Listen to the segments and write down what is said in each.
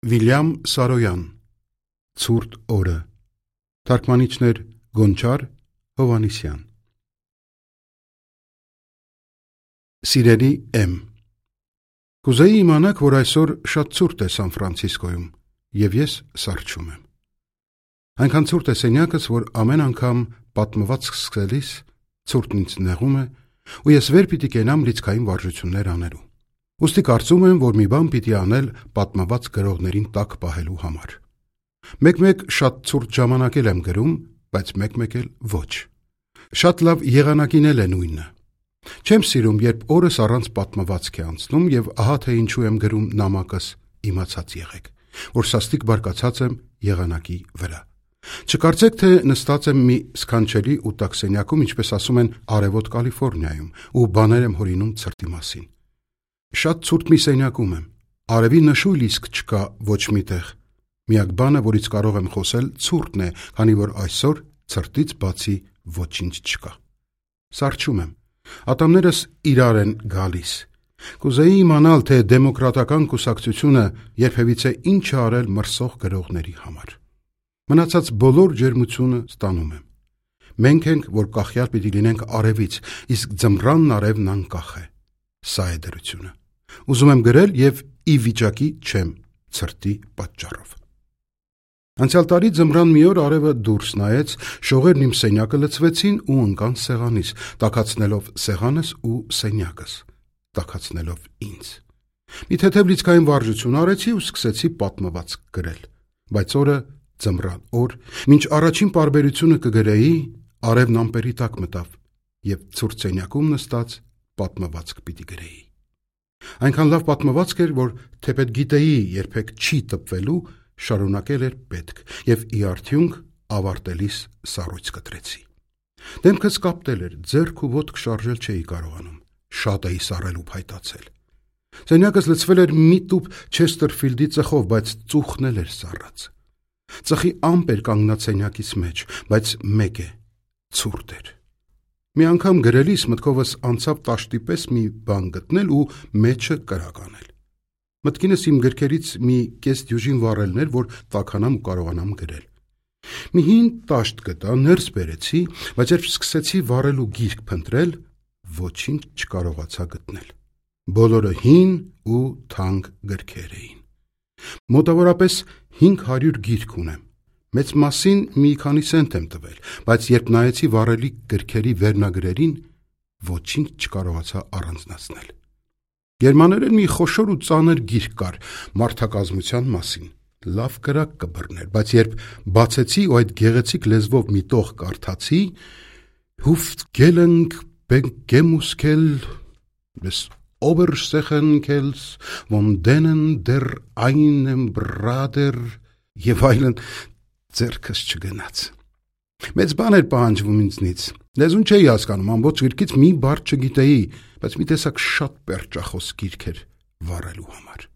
Վիլյամ Սարոյան Ցուրտ օրը Թարգմանիչներ Գոնչար Հովանիսյան Սիրելի Էմ Կուզեի իմանաք, որ այսօր շատ ցուրտ է Սան Ֆրանցիսկոյում և ես սառչում եմ։ Այնքան ցուրտ է սենյակս, որ ամեն անգամ պատմվածք սկսելիս ցուրտն ինձ նեղում է ու ես վեր պիտի կենամ լիցքային վարժություններ անելու։ Ուստի կարծում եմ, որ մի բան պիտի անել պատմված գրողներին տակ պահելու համար։ Մեկ-մեկ շատ ցուրտ ժամանակ եմ գրում, բայց մեկ-մեկ էլ ոչ։ Շատ լավ եղանակին էլ է նույնը։ Չեմ սիրում, երբ օրս առանց պատմվածք է անցնում և ահա թե ինչու եմ գրում նամակս, իմացած եղեք, որ սաստիկ բարկացած եմ եղանակի վրա։ Չկարծեք, թե նստած եմ մի սքանչելի ու տաք սենյակում, ինչպես ասում են Արևոտ Կալիֆորնիայում, ու բաներ եմ հորինում ցրտի մասին։ Շատ ցուրտ մի սենյակում եմ, արևի նշույլ իսկ չկա ոչ մի տեղ։ Միակ բանը, որից կարող եմ խոսել, ցուրտն է, քանի որ այսօր ցրտից բացի ոչինչ չկա։ Սառչում եմ, ատամներս իրար են գալիս։ Կուզեի իմանալ, թե դեմոկրատական կուսակցությունը երբևիցե ինչ է արել մրսող գրողների համար։ Մնացած բոլոր ջերմությունը ստանում եմ։ Մենք ենք, որ կախյալ պիտի լինենք արևից, իսկ ձմռանն արևն անկախ է։ Սա է դրությունը։ Ուզում եմ գրել և ի վիճակի չեմ ցրտի պատճառով։ Անցյալ տարի ձմռան մի օր արևը դուրս նայեց, շողերն իմ սենյակը լցվեցին ու ընկան սեղանիս, տաքացնելով սեղանս ու սենյակս, տաքացնելով ինձ։ Մի թեթև լիցքային վարժություն արեցի ու սկսեցի պատմվածք գրել, բայց օրը ձմռան օր, մինչ առաջին պարբերությունը կգրեի, արևն ամպերի տակ մտավ և ցուրտ սենյակում նստած պատմվածք պիտի գրեի։ Այնքան լավ պատմվածք էր, որ թեպետ գիտեի երբեք չի տպվելու, շարունակել էր պետք և ի արդյունք ավարտելիս սառույց կտրեցի։ Դեմքս կապտել էր, ձեռք ու ոտք շարժել չէի կարողանում, շատ էի սառել ու փայտացել։ Սենյակս լցվել էր մի տուփ Չեսթերֆիլդի ծխով, բայց ծուխն էլ էր սառած։ Ծխի ամպ էր կանգնած սենյակիս մեջ, բայց մեկ է, ցուրտ էր։ Մի անգամ գրելիս մտքովս անցավ տաշտի պես մի բան գտնել ու մեջը կրակ անել։ Մտքինս իմ գրքերից մի կես դյուժին վառելներ, որ տաքանամ ու կարողանամ գրել։ Մի հին տաշտ գտա, ներս բերեցի, բայց երբ սկսեցի վառել ու գիրք փնտրել, ոչինչ չկարողացա գտնել։ Բոլորը հին ու թանկ գրքեր էին։ Մոտավորապես 500 գիրք ունեմ։ Մեծ մասին մի քանի սենտ եմ տվել, բայց երբ նայեցի վառելի գրքերի վերնագրերին, ոչինչ չկարողացա առանձնացնել։ Գերմաներեն մի խոշոր ու ծանր գիրք կար մարդակազմության մասին։ Լավ կրակ կբռներ, բայց երբ բացեցի ու այդ գեղեցիկ լեզվով մի տող կարդացի, Hüftgelenk Begemuskel des Oberschenkel's von denen der einen Brader եւ այլն, ձեռքս չգնաց։ Մեծ բան էր պահանջվում ինձնից։ Լեզուն չէի հասկանում, ամբողջ գրքից մի բառ չգիտեի, բայց մի տեսակ շատ պերճախոս գիրք էր վառելու համար։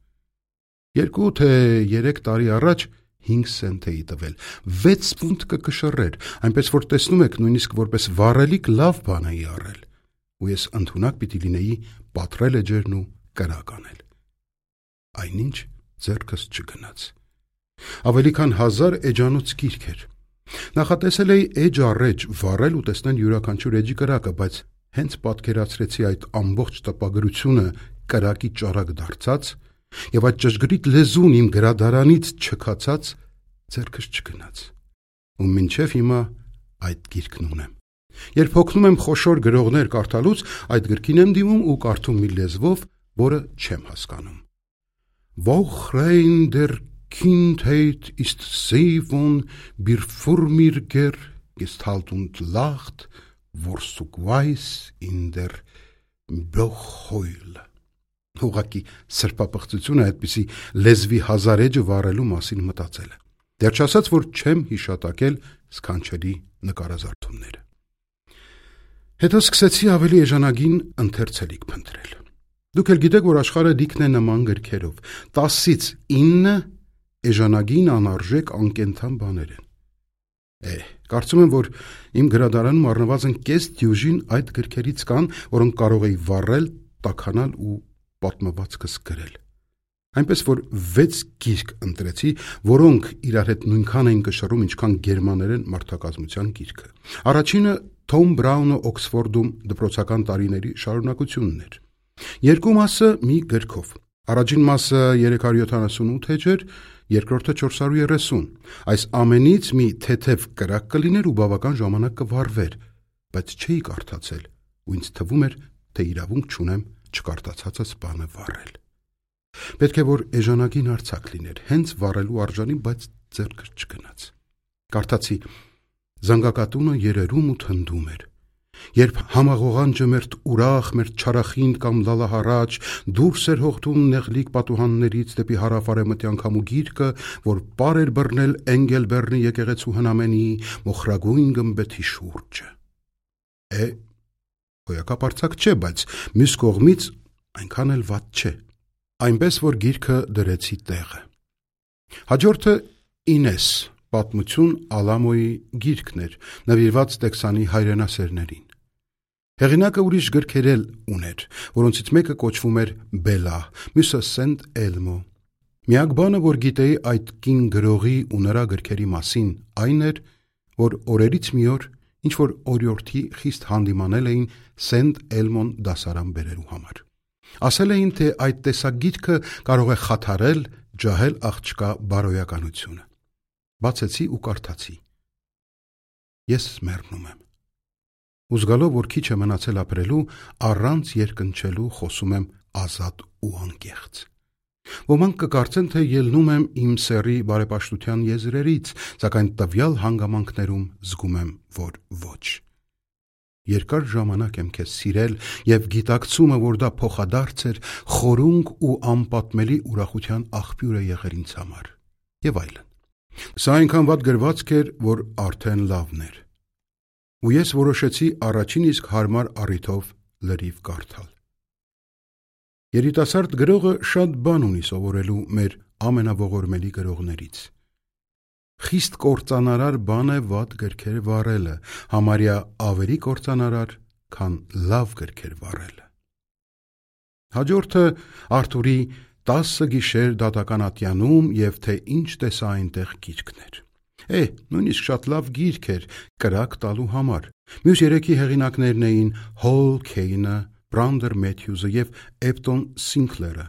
2 թե 3 տարի առաջ 5 սենտ էի տվել, 6 ֆունտ կկշռեր, այնպես որ տեսնում եք, նույնիսկ որպես վառելիք լավ բան էի առել, ու ես ընդունակ պիտի լինեի պատռել էջերն ու կրակ անել։ Այնինչ ձեռքս չգնաց։ Ավելի քան 1000 էջանոց գիրք էր։ Նախատեսել էի էջ առ էջ վառել ու տեսնել յուրաքանչյուր էջի կրակը, բայց հենց պատկերացրեցի այդ ամբողջ տպագրությունը կրակի ճառակ դարձած և այդ ճշգրիտ լեզուն իմ գրադարանից չքացած, ձեռքս չգնաց։ Ու մինչև հիմա այդ գիրքն ունեմ։ Երբ հոգնում եմ խոշոր գրողներ կարդալուց, այդ գրքին եմ դիմում ու կարդում մի լեզվով, որը չեմ հասկանում։ Wochrein der Kindheit ist sie von Bierfurmirger gestalt und lacht, Worsuk weiß in der Bochheul։ Ուղղակի սրբապղծությունը այդպիսի լեզվի հազար էջը վառելու մասին մտածել է։ Դեռ չասած, որ չեմ հիշատակել սքանչելի նկարազարդումները։ Հետո սկսեցի ավելի էժանագին ընթերցելիք փնտրել։ Դուք էլ գիտեք, որ աշխարհը լիքն է նման գրքերով, 10-ից 9 էժանագին անարժեք անկենդան բաներ են։ Կարծում եմ, որ իմ գրադարանում առնվազն կես դյուժին այդ գրքերից կան, որոնք կարող էի վառել, տաքանալ ու պատմվածքս գրել։ Այնպես որ 6 գիրք ընտրեցի, որոնք իրար հետ նույնքան էին կշռում, ինչքան գերմաներեն մարդակազմության գիրքը։ Առաջինը Թոմ Բրաունը Օքսֆորդում դպրոցական տարիների շարունակությունն էր։ Երկու մասը մի գրքով։ Առաջին մասը 378 էջ էր, երկրորդը 430։ Այս ամենից մի թեթև կրակ կլիներ ու բավական ժամանակ կվառվեր, բայց չէի կարդացել, ու ինձ թվում էր, թե իրավունք չունեմ չկարդացածս բանը վառել։ Պետք է որ էժանագին արձակ լիներ, հենց վառելու արժանի, բայց ձեռքս չգնաց։ Կարդացի. զանգակատունը երերում ու թնդում էր։ Երբ համաղողանջը մերթ ուրախ, մերթ չարախինդ կամ լալահարաջ դուրս էր հողտում նեղլիկ պատուհաններից դեպի հարավ-արևմտյան քամու գիրկը, որ պար էր բռնել Էնգելբերնի եկեղեցու հնամենի մոխրագույն գմբեթի շուրջը։ Հոյակապ արձակ չէ, բայց մյուս կողմից այնքան էլ վատ չէ։ Այնպես որ գիրքը դրեցի տեղը։ Հաջորդը Ինես պատմություն Ալամոյի գիրքն էր, նվիրված Տեքսանի հայրենասերներին։ Հեղինակը ուրիշ գրքեր էլ ուներ, որոնցից մեկը կոչվում էր Բելա, մյուսը Սենտ Էլմո։ Միակ բանը, որ գիտեի այդ կին գրողի ու նրա գրքերի մասին, այն էր, որ օրերից մի օր ինչ-որ օրիորդի խիստ հանդիմանել էին Սենտ Էլմոն դասարան բերելու համար։ Ասել էին, թե այդ տեսակ գիրքը կարող է խաթարել, ջահել աղջկա բարոյականությունը։ Բացեցի ու կարդացի։ Ես մեռնում եմ։ Ու զգալով, որ քիչ է մնացել ապրելու, առանց երկնչելու խոսում եմ ազատ ու անկեղծ։ Ոմանք կկարծեն, թե ելնում եմ իմ սեռի բարեպաշտության եզրերից, սակայն տվյալ հանգամանքներում զգում եմ, որ ոչ։ Երկար ժամանակ եմ քեզ սիրել և գիտակցումը, որ դա փոխադարձ էր, խորունկ ու անպատմելի ուրախության աղբյուր է եղել ինձ համար։ Եվ այլն։ Սա այնքան վատ գրվածք էր, որ արդեն լավն էր։ Ու ես որոշեցի առաջին իսկ հարմար առիթով լրիվ կարդալ։ Երիտասարդ գրողը շատ բան ունի սովորելու մեր ամենաողորմելի գրողներից։ Խիստ կործանարար բան է վատ գրքեր վառելը, համարյա ավելի կործանարար, քան լավ գրքեր վառելը։ Հաջորդը Արթուրի 10 գիշեր դատական ատյանում և թե ինչ տեսա այնտեղ գիրքն էր։ Նույնիսկ շատ լավ գիրք էր կրակ տալու համար։ Մյուս երեքի հեղինակներն էին Հոլ Քեյնը, Բրանդեր Մեթյուզը և Էպտոն Սինքլերը։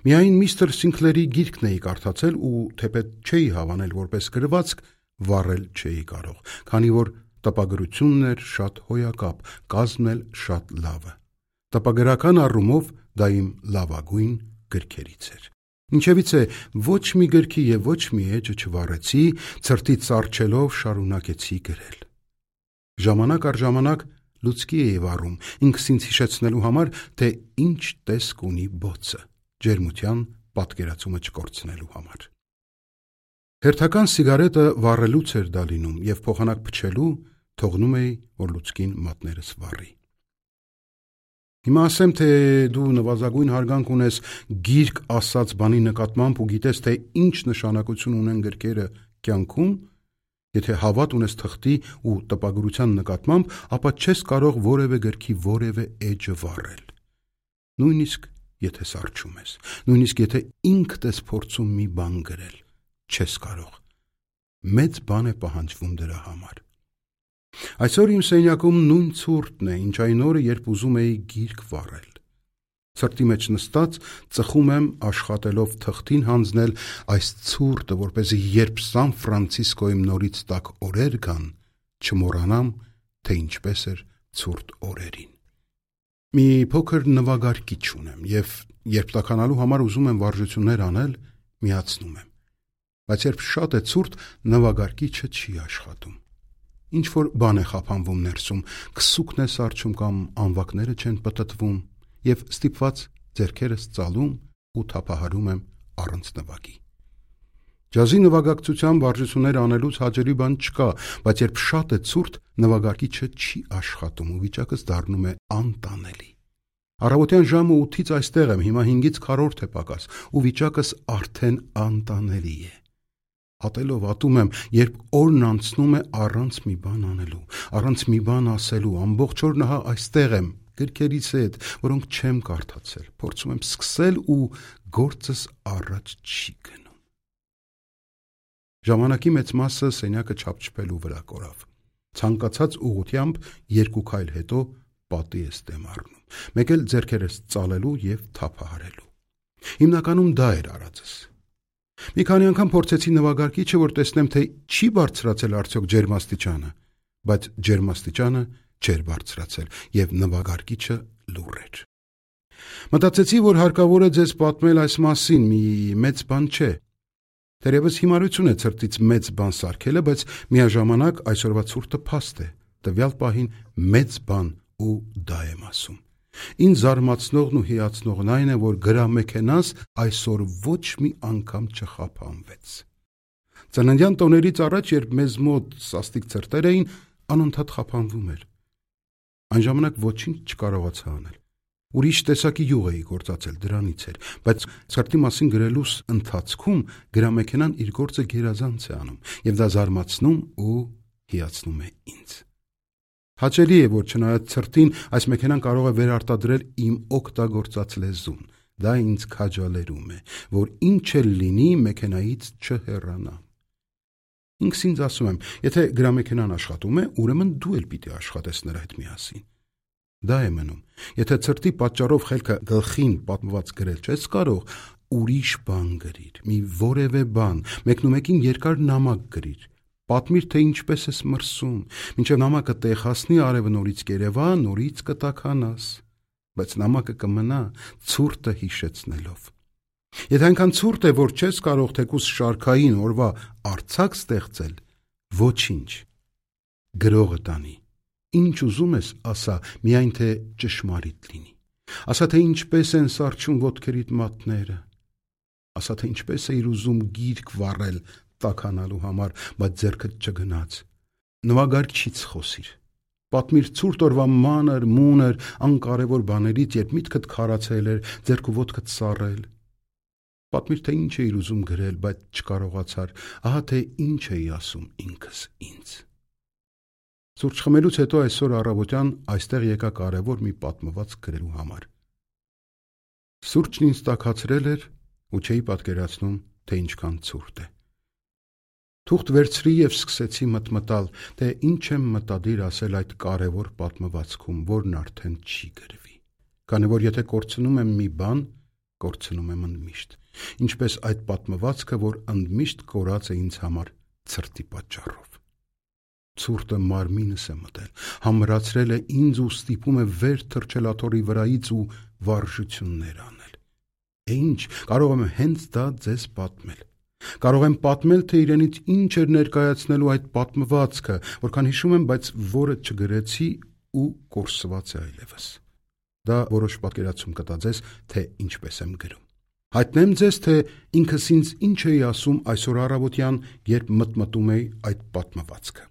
Միայն միստր Սինքլերի գիրքն էի կարդացել ու թեպետ չէի հավանել որպես գրվածք, վառել չէի կարող, քանի որ տպագրությունն էր շատ հոյակապ, կազմն էլ շատ լավը։ Տպագրական առումով դա իմ լավագույն գրքերից էր։ Ինչևից է ոչ մի գրքի և ոչ մի էջը չվառեցի, ցրտից սառչելով շարունակեցի գրել։ Ժամանակ առ ժամանակ լուցկի էի վառում, ինքս ինձ հիշեցնելու համար, թե ինչ տեսք ունի բոցը, ջերմության պատկերացումը չկորցնելու համար։ Հերթական սիգարետը վառելուց էր դա լինում և փոխանակ փչելու թողնում էի, որ լուցկին մատներս վառի։ Հիմա ասեմ, թե դու նվազագույն հարգանք ունես գիրք ասած բանի նկատմամբ ու գիտես, թե ինչ նշանակություն ունեն գրքերը կյանքում, եթե հավատ ունես թղթի ու տպագրության նկատմամբ, ապա չես կարող որևէ գրքի որևէ էջը վառել։ Նույնիսկ եթե սառչում ես, նույնիսկ եթե ինքդ ես փորձում մի բան գրել, չես կարող։ Մեծ բան է պահանջվում դրա համար։ Այսօր իմ սենյակում նույն ցուրտն է, ինչ այն օրը, երբ ուզում էի գիրք վառել։ Ցրտի մեջ նստած ծխում եմ աշխատելով թղթին հանձնել այս ցուրտը, որպեսզի երբ Սան Ֆրանցիսկոյում նորից տաք օրեր գան, չմոռանամ, թե ինչպես էր ցուրտ օրերին։ Մի փոքր նվագարկիչ ունեմ և երբ տաքանալու համար ուզում եմ վարժություններ անել, միացնում եմ։ Բայց երբ շատ է ցուրտ, նվագարկիչը չի աշխատում։ Ինչ-որ բան է խափանվում ներսում, քսուկն է սառչում կամ անվակները չեն պտտվում և ստիպված ձեռքերս ծալում ու թափահարում եմ առանց նվագի։ Ջազի նվագակցության վարժություններ անելուց հաճելի բան չկա, բայց երբ շատ է ցուրտ, նվագարկիչը չի աշխատում ու վիճակս դառնում է անտանելի։ Առավոտյան ժամը 8-ից այստեղ եմ, հիմա 5-ից քառորդ է պակաս ու վիճակս արդեն անտանելի է։ Ատելով ատում եմ, երբ օրն անցնում է առանց մի բան անելու, առանց մի բան ասելու, ամբողջ օրն ահա այստեղ եմ, գրքերից հետ, որոնք չեմ կարդացել, փորձում եմ սկսել ու գործս առաջ չի գնում։ Ժամանակի մեծ մասը սենյակը չափչփելու վրա կորավ։ Ցանկացած ուղղությամբ 2 քայլ հետո պատի ես դեմ առնում, մեկ էլ ձեռքերս ծալելու և թափահարելու։ Հիմնականում դա էր արածս։ Մի քանի անգամ փորձեցի նվագարկիչը, որ տեսնեմ, թե չի բարձրացել արդյոք ջերմաստիճանը, բայց ջերմաստիճանը չէր բարձրացել և նվագարկիչը լուռ էր։ Մտածեցի, որ հարկավոր է ձեզ պատմել այս մասին, մի մեծ բան չէ։ Թերևս հիմարություն է ցրտից մեծ բան սարքելը, բայց միաժամանակ այսօրվա ցուրտը փաստ է, տվյալ պահին մեծ բան ու դա եմ ասում։ Ինձ զարմացնողն ու հիացնողն այն է, որ գրամեքենաս այսօր ոչ մի անգամ չխափանվեց։ Ծննդյան տոներից առաջ, երբ մեզ մոտ սաստիկ ցրտեր էին, անընդհատ խափանվում էր։ Այն ժամանակ ոչինչ չկարողացա անել։ Ուրիշ տեսակի յուղ էի գործածել, դրանից էր, բայց ցրտի մասին գրելուս ընթացքում գրամեքենան իր գործը գերազանց է անում, և դա զարմացնում ու հիացնում է ինձ։ Հաճելի է, որ չնայած ցրտին, այս մեքենան կարող է վերարտադրել իմ օգտագործած լեզուն։ Դա ինձ քաջալերում է, որ ինչ էլ լինի, մեքենայից չհեռանամ։ Ինքս ինձ ասում եմ, եթե գրամեքենան աշխատում է, ուրեմն դու էլ պիտի աշխատես նրա հետ միասին։ Դա է մնում։ Եթե ցրտի պատճառով խելքը գլխին պատմված գրել չես կարող, ուրիշ բան գրիր, մի որևէ բան, մեկնումեկին երկար նամակ գրիր։ Պատմիր, թե ինչպես ես մրսում, մինչև նամակը տեղ հասնի, արևը նորից կերևա, նորից կտաքանաս, բայց նամակը կմնա ցուրտը հիշեցնելով։ Եթե այնքան ցուրտ է, որ չես կարող թեկուզ շարքային օրվա արձակ ստեղծել, ոչինչ, գրողը տանի։ Ինչ ուզում ես, ասա, միայն թե ճշմարիտ լինի։ Ասա, թե ինչպես են սառչում ոտքերիդ մատները։ Ասա, թե ինչպես էիր ուզում գիրք վառել տաքանալու համար, բայց ձեռքդ չգնաց։ Նվագարկչից խոսիր։ Պատմիր ցուրտ օրվա մանր, մունր, անկարևոր բաներից, երբ միտքդ քարացել էր, ձեռք ու ոտքդ սառել։ Պատմիր, թե ինչ էիր ուզում գրել, բայց չկարողացար, ահա թե ինչ էի ասում ինքս ինձ։ Սուրճ խմելուց հետո այսօր առավոտյան այստեղ եկա կարևոր մի պատմված գրելու համար։ Սուրճն ինձ տաքացրել էր ու չէի պատկերացնում, թե ինչքան ցուրտ է։ Թուղթ վերցրի և սկսեցի մտմտալ, թե ինչ եմ մտադիր ասել այդ կարևոր պատմվածքում, որն արդեն չի գրվի։ Քանի որ եթե կորցնում եմ մի բան, կորցնում եմ ընդմիշտ, ինչպես այդ պատմվածքը, որ ընդմիշտ կորած է ինձ համար ցրտի պատճառով։ Ցուրտը մարմինս է մտել, համրացրել է ինձ ու ստիպում է վեր թռչել աթոռի վրայից ու վարժություններ անել։ Ինչ, կարող եմ հենց դա ձեզ պատմել։ Կարող եմ պատմել, թե իրենից ինչ էր ներկայացնելու այդ պատմվածքը, որքան հիշում եմ, բայց որը չգրեցի ու կորսված է այլևս։ Դա որոշ պատկերացում կտա ձեզ, թե ինչպես եմ գրում։ Հայտնեմ ձեզ, թե ինքս ինձ ինչ էի ասում այսօր առավոտյան, երբ մտմտում էի այդ պատմվածքը։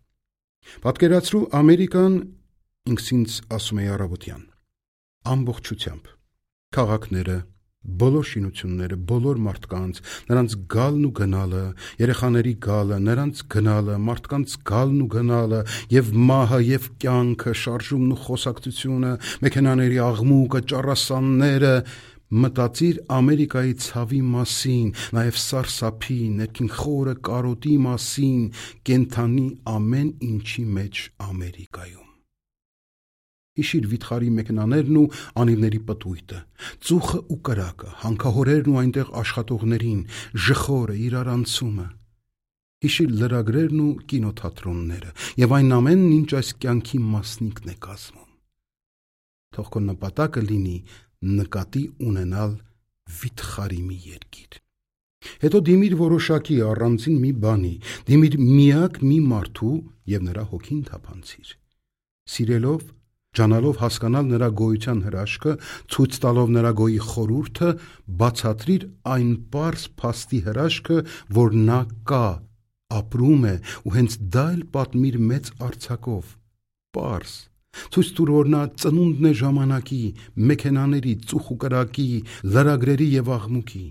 Պատկերացրու Ամերիկան, ինքս ինձ ասում էի առավոտյան, ամբողջությամբ, քաղաքները, բոլոր շինությունները, բոլոր մարդկանց, նրանց գալն ու գնալը, երեխաների գալը, նրանց գնալը, մարդկանց գալն ու գնալը, և մահը, և կյանքը, շարժումն ու խոսակցությունը, մեքենաների աղմուկը, ճառասանները, մտածիր Ամերիկայի ցավի մասին, նաև սարսափի, ներքին խորը կարոտի մասին, կենդանի ամեն ինչի մեջ Ամերիկայում։ Հիշիր վիթխարի մեքենաներն ու անիվների պտույտը, ծուխը ու կրակը, հանքահորերն ու այնտեղ աշխատողներին, ժխորը, իրարանցումը։ Հիշիր լրագրերն ու կինոթատրոնները և այն ամենն, ինչ այս կյանքի մասնիկն է կազմում։ Թող քո նպատակը լինի նկատի ունենալ վիթխարի մի երկիր։ Հետո դիմիր որոշակի առանձին մի բանի, դիմիր միակ մի մարդու և նրա հոգին թափանցիր։ Սիրելով, ջանալով հասկանալ նրա գոյության հրաշքը, ցույց տալով նրա գոյի խորհուրդը, բացատրիր այն պարզ փաստի հրաշքը, որ նա կա, ապրում է ու հենց դա էլ պատմիր մեծ արձակով, պարզ։ Ցույց տուր, որ նա ծնունդն է ժամանակի, մեքենաների, ծուխ ու կրակի, լրագրերի և աղմուկի։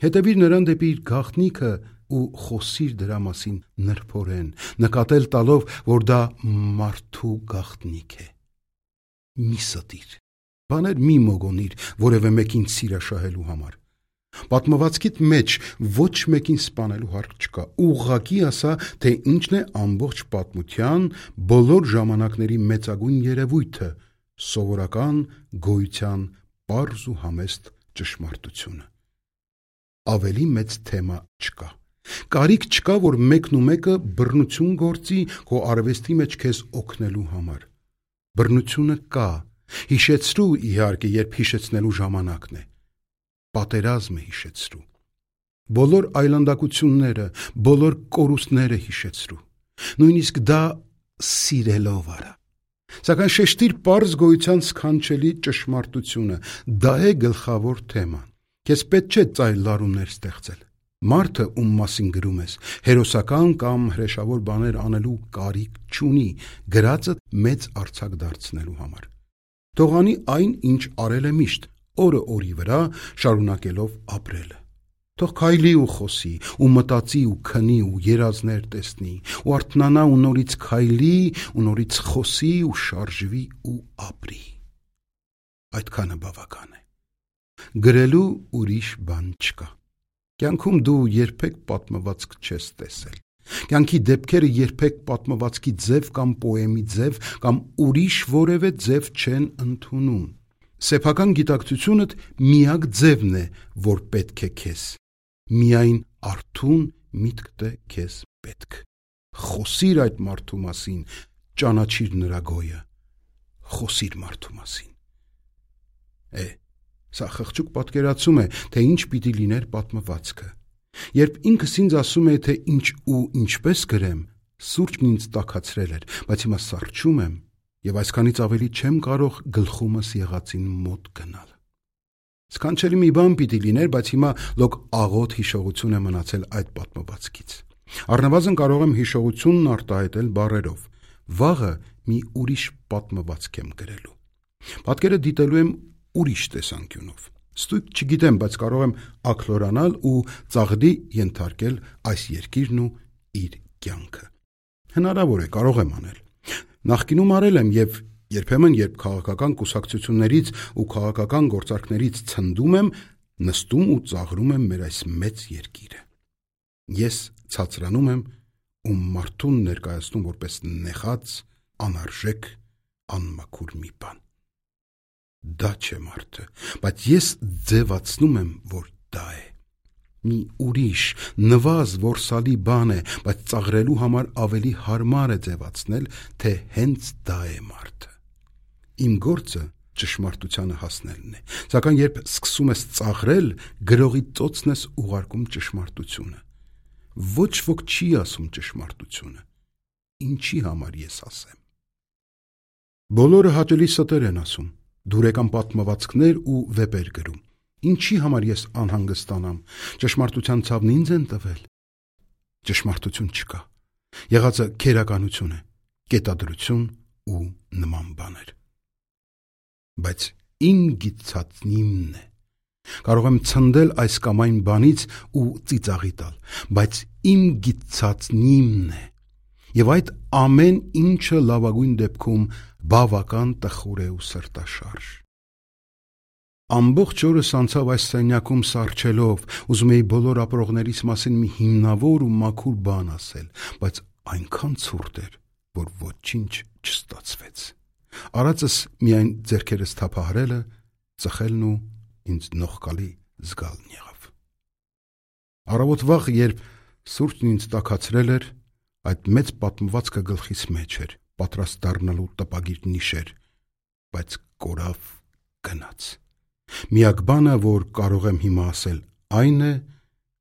Հետևիր նրան դեպի իր գաղտնիքը ու խոսիր դրա մասին նրբորեն, նկատել տալով, որ դա մարդու գաղտնիք է։ Մի ստիր։ Բաներ մի մոգոնիր որևէ մեկին սիրաշահելու համար։ Պատմվածքիդ մեջ ոչ մեկին սպանելու հարկ չկա։ Ուղղակի ասա, թե ինչն է ամբողջ պատմության բոլոր ժամանակների մեծագույն երևույթը, սովորական գոյության պարզ ու համեստ ճշմարտությունը։ Ավելի մեծ թեմա չկա։ Կարիք չկա, որ մեկն ու մեկը բռնություն գործի քո արվեստի մեջ քեզ օգնելու համար։ Բռնությունը կա, հիշեցրու իհարկե, երբ հիշեցնելու ժամանակն է։ Պատերազմ է հիշեցրու։ Բոլոր այլանդակությունները, բոլոր կորուստները հիշեցրու։ Նույնիսկ դա սիրելով արա։ Սակայն շեշտիր պարզ գոյության սքանչելի ճշմարտությունը, դա է գլխավոր թեման։ Քեզ պետք չէ ծայր լարումներ ստեղծել։ Մարդը, ում մասին գրում ես, հերոսական կամ հրեշավոր բաներ անելու կարիք չունի, գրածը մեծ արձակ դարձնելու համար։ Թող անի այն, ինչ արել է միշտ, օրը օրի վրա, շարունակելով ապրելը։ Թող քայլի ու խոսի, ու մտածի ու քնի ու երազներ տեսնի, ու արթնանա ու նորից քայլի, ու նորից խոսի ու շարժվի ու ապրի։ Այդքանը բավական է։ Գրելու ուրիշ բան չկա։ Կյանքում դու երբեք պատմվածք չես տեսել։ Կյանքի դեպքերը երբեք պատմվածքի ձև կամ պոեմի ձև կամ ուրիշ որևէ ձև չեն ընդունում։ Սեփական գիտակցությունդ միակ ձևն է, որ պետք է քեզ։ Միայն արթուն միտքդ է քեզ պետք։ Խոսիր այդ մարդու մասին, ճանաչիր նրա գոյը։ Խոսիր մարդու մասին։ Սա խղճուկ պատկերացում է, թե ինչ պիտի լիներ պատմվածքը։ Երբ ինքս ինձ ասում է, թե ինչ ու ինչպես գրեմ, սուրճն ինձ տաքացրել էր, բայց հիմա սառչում եմ եւ այսքանից ավելի չեմ կարող գլխումս եղածին մոտ գնալ։ Սքանչելի մի բան պիտի լիներ, բայց հիմա լոկ աղոտ հիշողություն է մնացել այդ պատմվածքից։ Առնվազն կարող եմ հիշողությունն արտահայտել բառերով։ Վաղը մի ուրիշ պատմվածք եմ գրելու։ Պատկերը դիտելու եմ ուրիշ տեսանկյունով։ Ստույգ չգիտեմ, բայց կարող եմ ակլորանալ ու ծաղրի ենթարկել այս երկիրն ու իր կյանքը։ Հնարավոր է, կարող եմ անել։ Նախկինում արել եմ եւ երբեմն, երբ քաղաքական կուսակցություններից ու քաղաքական գործարքներից ցնդում եմ, նստում ու ծաղրում եմ մեր այս մեծ երկիրը։ Ես ցածրանում եմ ու մարդուն ներկայացնում որպես նեխած, անարժեք, անմաքուր մի բան։ Դա չէ մարդը, բայց ես ձևացնում եմ, որ դա է։ Մի ուրիշ, նվազ որսալի բան է, բայց ծաղրելու համար ավելի հարմար է ձևացնել, թե հենց դա է մարդը։ Իմ գործը ճշմարտությանը հասնելն է, սակայն երբ սկսում ես ծաղրել, գրողի ծոցն ես ուղարկում ճշմարտությունը։ Ոչ ոք չի ասում ճշմարտությունը։ Ինչի համար ես ասեմ։ Բոլորը հաճելի ստեր են ասում, դուրեկան պատմվածքներ ու վեպեր գրում։ Ինչի համար ես անհանգստանամ, ճշմարտության ցավն ինձ են տվել։ Ճշմարտություն չկա։ Եղածը քերականություն է, կետադրություն ու նման բաներ։ Բայց իմ գիտածնիմն է։ Կարող եմ ցնդել այս կամ այն բանից ու ծիծաղի տալ, բայց իմ գիտածնիմն է։ Եվ այդ ամեն ինչը լավագույն դեպքում բավական տխուր է ու սրտաշարժ։ Ամբողջ օրս անցավ այս սենյակում սառչելով, ուզում էի բոլոր ապրողներից մասին մի հիմնավոր ու մաքուր բան ասել, բայց այնքան ցուրտ էր, որ ոչինչ չստացվեց։ Արածս միայն ձեռքերս թափահարելը, ծխելն ու ինձ նողկալի զգալն եղավ։ Առավոտ վաղ, երբ սուրճն ինձ տաքացրել էր, այդ մեծ պատմվածքը գլխիս մեջ էր, պատրաստ դառնալու տպագիր նիշեր, բայց կորավ գնաց։ Միակ բանը, որ կարող եմ հիմա ասել, այն է,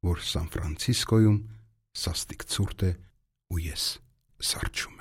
որ Սան Ֆրանցիսկոյում սաստիկ ցուրտ է ու ես սառչում